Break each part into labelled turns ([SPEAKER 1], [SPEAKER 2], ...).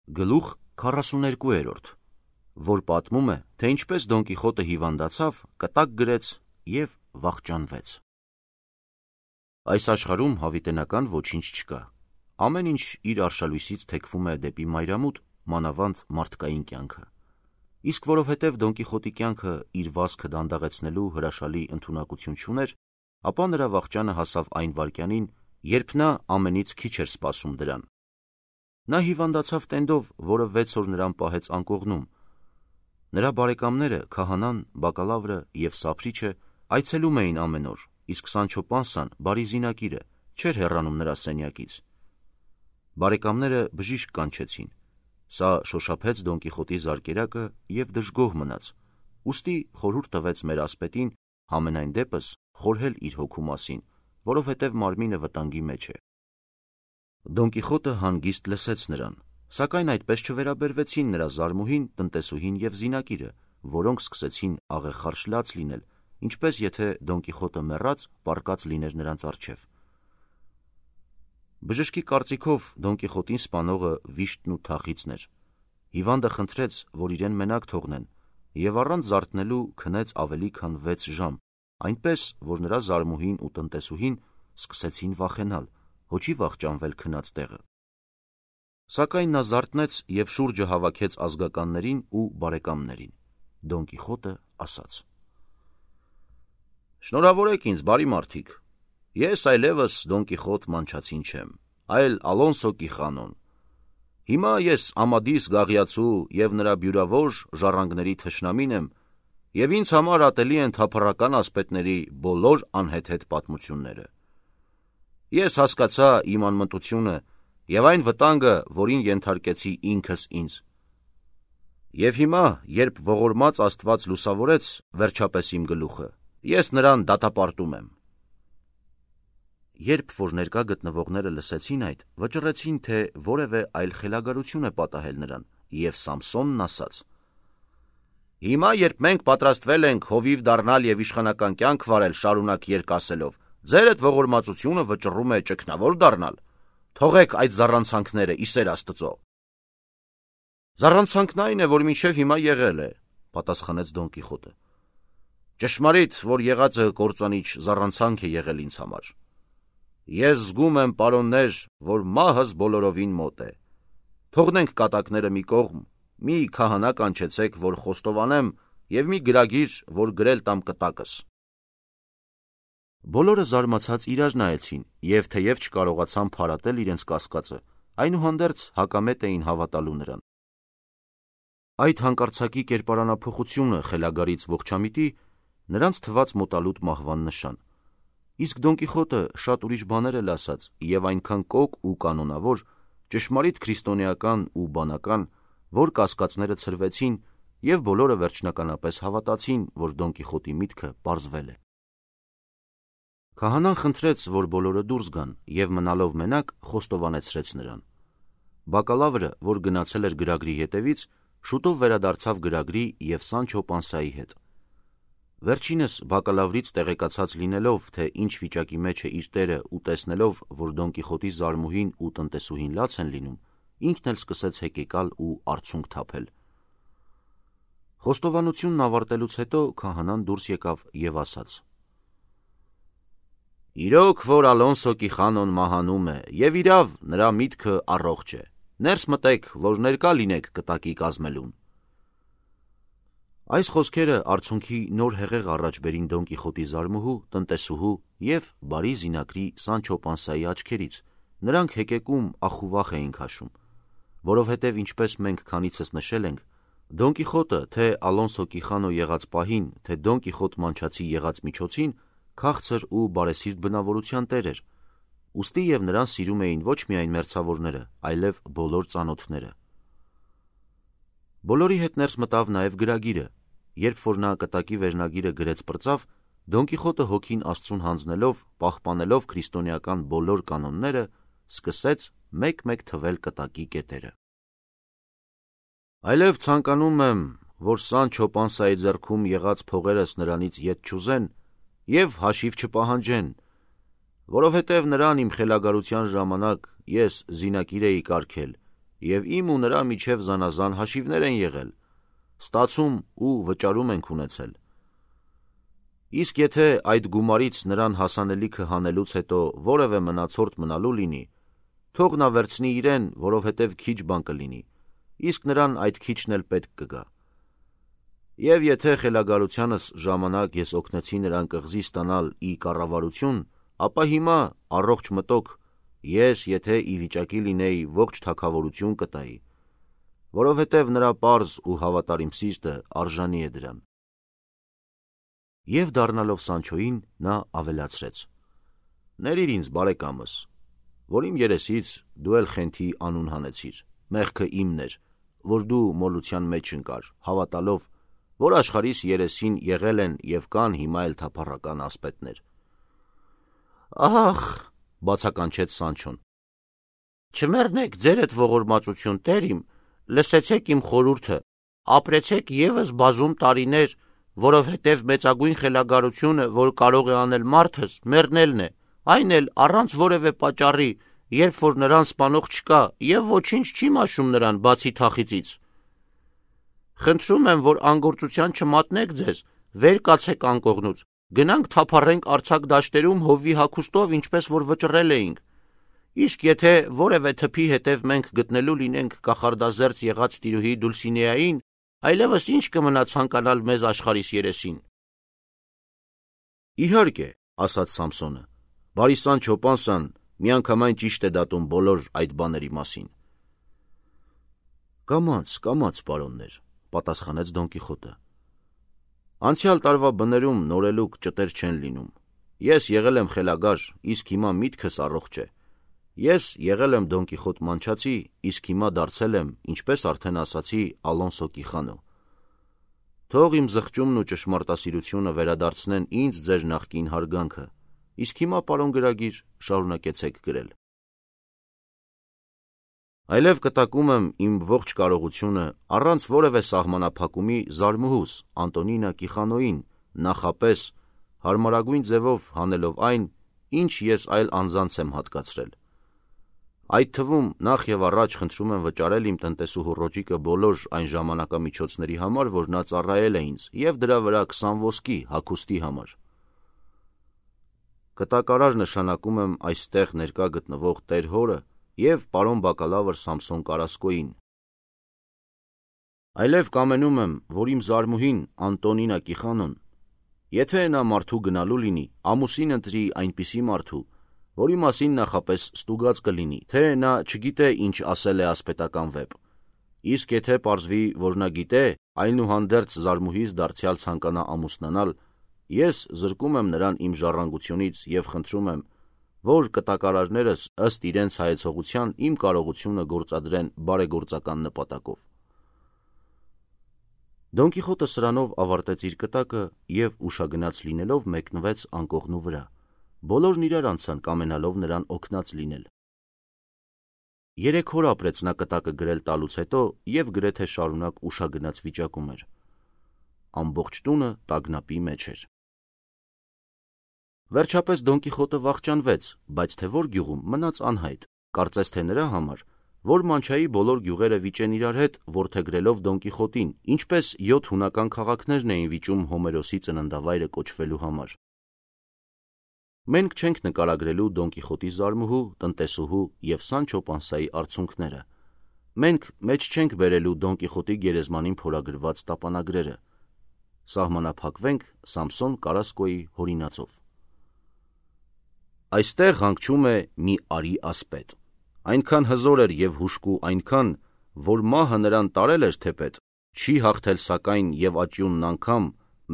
[SPEAKER 1] Գլուխ 42, որ պատմում է, թե ինչպես Դոն Կիխոտը հիվանդացավ, կտակ գրեց և վախճանվեց։ Այս աշխարհում հավիտենական ոչինչ չկա։ Ամեն ինչ իր արշալույսից թեքվում է դեպի մայրամուտ, մանավանդ մարդկային կյանքը։ Իսկ որովհետև Դոն Կիխոտի կյանքը իր վազքը դանդաղեցնելու հրաշալի ընդունակություն չուներ, ապա նրա վախճանը հասավ այն վայրկյանին, երբ նա ամենից քիչ էր սպասում դրան։ Նա հիվանդացավ տենդով, որը 6 օր նրան պահեց անկողնում։ Նրա բարեկամները, քահանան, բակալավրը և սափրիչը այցելում էին ամեն օր, իսկ Սանչո Պանսան, բարի զինակիրը, չէր հեռանում նրա սենյակից։ Բարեկամները բժիշկ կանչեցին։ Սա շոշափեց Դոն Կիխոտի զարկերակը և դժգոհ մնաց, ուստի խորհուրդ տվեց մեր ասպետին համենայն դեպս խորհել իր հոգու մասին, որովհետև մարմինը վտանգի մեջ է։ Դոն Կիխոտը հանգիստ լսեց նրան, սակայն այդպես չվերաբերվեցին նրա զարմուհին, տնտեսուհին և զինակիրը, որոնք սկսեցին աղեղարշ լաց լինել, ինչպես եթե Դոն Կիխոտը մեռած պառկած լիներ նրանց առջև։ Բժշկի կարծիքով Դոն Կիխոտին սպանողը վիշտն ու թախիծն էր։ Հիվանդը խնդրեց, որ իրեն մենակ թողնեն, և առանց զարթնելու քնեց ավելի քան 6 ժամ, այնպես, որ նրա զարմուհին ու տնտեսուհին սկսեցին վախենալ, հո չի վախճանվել քնած տեղը։ Սակայն նա զարթնեց և շուրջը հավաքեց ազգականներին ու բարեկամներին։ Դոն Կիխոտը ասաց. «Շնորհավորեք ինձ, բարի մարդիկ, ես այլևս Դոն Կիխոտ մանչացին չեմ, այլ Ալոնսո Կիխանոն։ Հիմա ես Ամադիս Գաղիացու և նրա բյուրավոր ժառանգների թշնամին եմ, և ինձ համար ատելի են թափառական ասպետների բոլոր անհեթեթ պատմությունները։ Ես հասկացա իմ անմտությունը և այն վտանգը, որին ենթարկեցի ինքս ինձ։ Եվ հիմա, երբ ողորմած Աստված լուսավորեց վերջապես իմ գլուխը, ես նրան դատապարտում եմ»։ Երբ որ ներկա գտնվողները լսեցին այդ, վճռեցին, թե որևէ այլ խելագարություն է պատահել նրան, և Սամսոնն ասաց. «Հիմա, երբ մենք պատրաստվել ենք հովիվ դառնալ և իշխանական կյանք վարել շարունակ երկասելով, ձերդ ողորմածությունը վճռում է ճգնավոր դառնալ։ Թողեք այդ զառանցանքները, ի սեր Աստծո»։ «Զառանցանքն այն է, որ մինչև հիմա եղել է», պատասխանեց Դոն Կիխոտը։ «Ճշմարիտ, որ եղածը կործանիչ զառանցանք է եղել ինձ համար։ Ես զգում եմ, պարոններ, որ մահս բոլորովին մոտ է։ Թողնենք կատակները մի կողմ, մի քահանա կանչեցեք, որ խոստովանեմ, և մի գրագիր, որ գրել տամ կտակս»։ Բոլորը զարմացած իրար նայեցին, և թեև չկարողացան փարատել իրենց կասկածը, այնուհանդերձ հակամետ էին հավատալու նրան։ Այդ հանկարծակի կերպարանափոխությունը խելագարից ողջամիտի նրանց թվաց մոտալուտ մահվան նշան։ Իսկ Դոն Կիխոտը շատ ուրիշ բաներ էլ ասաց և այնքան կոկ ու կանոնավոր, ճշմարիտ քրիստոնեական ու բանական, որ կասկածները ցրվեցին, և բոլորը վերջնականապես հավատացին, որ Դոն Կիխոտի միտքը պարզվել է։ Քահանան խնդրեց, որ բոլորը դուրս գան, և մնալով մենակ խոստովանեցրեց նրան։ Բակալավրը, որ գնացել էր գրագրի հետևից, շուտով վերադարձավ գրագրի և Սանչո Պանսայի հետ։ Վերջինս բակալավրից տեղեկացած լինելով, թե ինչ վիճակի մեջ է իր տերը ու տեսնելով, որ Դոն Կիխոտի զարմուհին ու տնտեսուհին լաց են լինում, ինքն էլ սկսեց հեկեկալ ու արցունք թափել։ Խոստովանությունն ավարտելուց հետո քահանան դուրս եկավ և ասաց. «Իրոք, որ Ալոնսո Կիխանոն մահանում է, և իրավ, նրա միտքը առողջ է։ Ներս մտեք, որ ներկա լինեք կտակի կազմելուն»։ Այս խոսքերը արցունքի նոր հեղեղ առաջ բերին Դոն Կիխոտի զարմուհու, տնտեսուհու և բարի զինակրի Սանչո Պանսայի աչքերից, նրանք հեկեկում ախուվախ էին քաշում, որովհետև ինչպես մենք քանիցս նշել ենք, Դոն Կիխոտը թե Ալոնսո Կիխանո եղած պահին, թե Դոն Կիխոտ մանչացի եղած միջոցին քաղցր ու բարեսիրտ բնավորության տեր էր, ուստի և նրան սիրում էին ոչ միայն մերձավորները, այլև բոլոր ծանոթները։ Բոլորի հետ ներս մտավ նաև գրագիրը։ Երբ որ նա կտակի վերնագիրը գրեց պրծավ, Դոն Կիխոտը հոգին Աստծուն հանձնելով, պահպանելով քրիստոնեական բոլոր կանոնները, սկսեց մեկ-մեկ թվել կտակի կետերը։ «Այլև ցանկանում եմ, որ Սանչո Պանսայի ձեռքում եղած փողերս նրանից ետ չուզեն և հաշիվ չպահանջեն, որովհետև նրան իմ խելագարության ժամանակ ես զինակիր էի կարգել և իմ ու նրա միջև զանազան հաշիվներ են եղել, ստացում ու վճարում ենք ունեցել։ Իսկ եթե այդ գումարից նրան հասանելիքը հանելուց հետո որևէ մնացորդ մնալու լինի, թող նա վերցնի իրեն, որովհետև քիչ բան կլինի, իսկ նրան այդ քիչն էլ պետք կգա։ Եվ եթե խելագարությանս ժամանակ ես օգնեցի նրան կղզի ստանալ ի կառավարություն, ապա հիմա առողջ մտոք ես, եթե ի վիճակի լինեի, ողջ թագավորություն կտայի, որովհետև նրա պարզ ու հավատարիմ սիրտը արժանի է դրան։ Եվ դառնալով Սանչոյին, նա ավելացրեց. «Ներիր ինձ, բարեկամս, որ իմ երեսից դու էլ խենթի անուն հանեցիր, մեղքը իմն էր, որ դու մոլության մեջ ընկար, հավատալով, որ աշխարհիս երեսին եղել են և կան հիմա էլ թափառական ասպետներ»։ «Ախ», բացականչեց Սանչոն, «չմեռնեք ձերդ ողորմածություն, տեր իմ, լսեցեք իմ խորհուրդը, ապրեցեք ևս բազում տարիներ, որովհետև մեծագույն խելագարությունը, որ կարող է անել մարդս, մեռնելն է, այն էլ առանց որևէ պատճառի, երբ որ նրան սպանող չկա և ոչինչ չի մաշում նրան, բացի թախիծից։ Խնդրում եմ, որ անգործության չմատնեք ձեզ, վեր կացեք անկողնուց, գնանք թափառենք արձակ դաշտերում հովվի հագուստով, ինչպես որ վճռել էինք։ Իսկ եթե որևէ թփի հետև մենք գտնելու լինենք կախարդազերծ եղած տիրուհի Դուլսինեային, այլևս ինչ կմնա ցանկանալ մեզ աշխարհիս երեսին»։ «Իհարկե», ասաց Սամսոնը, «բարի Սանչո Պանսան միանգամայն ճիշտ է դատում բոլոր այդ բաների մասին»։ Կամաց, պարոններ, պատասխանեց Դոն Կիխոտը։ Անցյալ տարվա բներում նորելուկ ճտեր չեն լինում։ Ես եղել եմ խելագար, իսկ հիմա միտքս առողջ է։ Ես եղել եմ Դոն Կիխոտ մանչացի, իսկ հիմա դարձել եմ, ինչպես արդեն ասացի, Ալոնսո Կիխանո։ Թող իմ զղջումն ու ճշմարտասիրությունը վերադարձնեն ինձ ձեր նախկին հարգանքը, իսկ հիմա, պարոն գրագիր, շարունակեցեք գրել։ Այլև կտակում եմ իմ ողջ կարողությունը առանց որևէ սահմանափակումի զարմուհուս Անտոնինա Կիխանոյին նախապես հարմարագույն ձևով հանելով այն, ինչ ես այլ անձանց եմ հատկացրել։ Այդ թվում նախ եւ առաջ խնդրում եմ վճարել իմ տնտեսուհու Ռոջիկը բոլոր այն ժամանակամիջոցների համար, որ նա ծառայել է ինձ, եւ դրա վրա 20 ոսկի հագուստի համար։ Կտակարար նշանակում եմ այստեղ ներկա գտնվող Տեր հորը և պարոն բակալավր Սամսոն Կարասկոյին։ Այլև կամենում եմ, որ իմ զարմուհին Անտոնինա Կիխանոն, եթե նա մարդու գնալու լինի, ամուսին ընտրի այնպիսի մարդու, որի մասին նախապես ստուգած կլինի, թե նա չգիտե ինչ ասել է ասպետական վեպ, իսկ եթե պարզվի, որ նա գիտե, այնուհանդերձ զարմուհիս դարձյալ ցանկանա ամուսնանալ, ես զրկում եմ նրան իմ ժառանգությունից և խնդրում եմ, որ կտակարարներս ըստ իրենց հայեցողության իմ կարողությունը գործադրեն բարեգործական նպատակով։ Դոն Կիխոտը սրանով ավարտեց իր կտակը և ուշագնաց լինելով մեկնվեց անկողնու վրա, բոլորն իրար անցան կամենալով նրան օգնած լինել։ 3 օր ապրեց նա կտակը գրել տալուց հետո և գրեթե շարունակ ուշագնաց վիճակում էր։ Ամբողջ տունը տագնապի մեջ էր։ Վերջապես Դոն Կիխոտը վախճանվեց, բայց թե որ գյուղում մնաց անհայտ, կարծես թե նրա համար, որ մանչայի բոլոր գյուղերը վիճեն իրար հետ, որդեգրելով Դոն Կիխոտին, ինչպես 7 հունական քաղաքներն էին վիճում Հոմերոսի ծննդավայրը կոչվելու համար։ Մենք չենք նկարագրելու Դոն Կիխոտի զարմուհու, տնտեսուհու և Սանչո Պանսայի արցունքները։ Մենք մեջ չենք բերելու Դոն Կիխոտի գերեզմանին փորագրված տապանագրերը։ Սահմանափակվենք Սամսոն Կարասկոյի հորինածով։ Այստեղ հանգչում է մի արի ասպետ։ Այնքան հզոր էր և հուժկու այնքան, որ մահը նրան տարել էր թեպետ, չի հաղթել սակայն և աճյունն անգամ,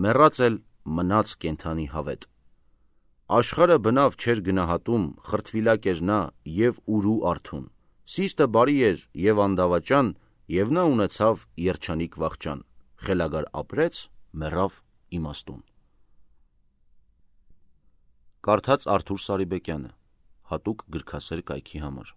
[SPEAKER 1] մեռած էլ մնաց կենդանի հավետ։ Աշխարհը բնավ չէր գնահատում, խրտվիլակ էր նա և ուրու արթուն, սիրտը բարի էր և անդավաճան, և նա ունեցավ երջանիկ վախճան, խելագար ապրեց, մեռավ իմաստուն։ Կարդաց Արթուր Սարիբեկյանը, հատուկ գրքասեր կայքի համար։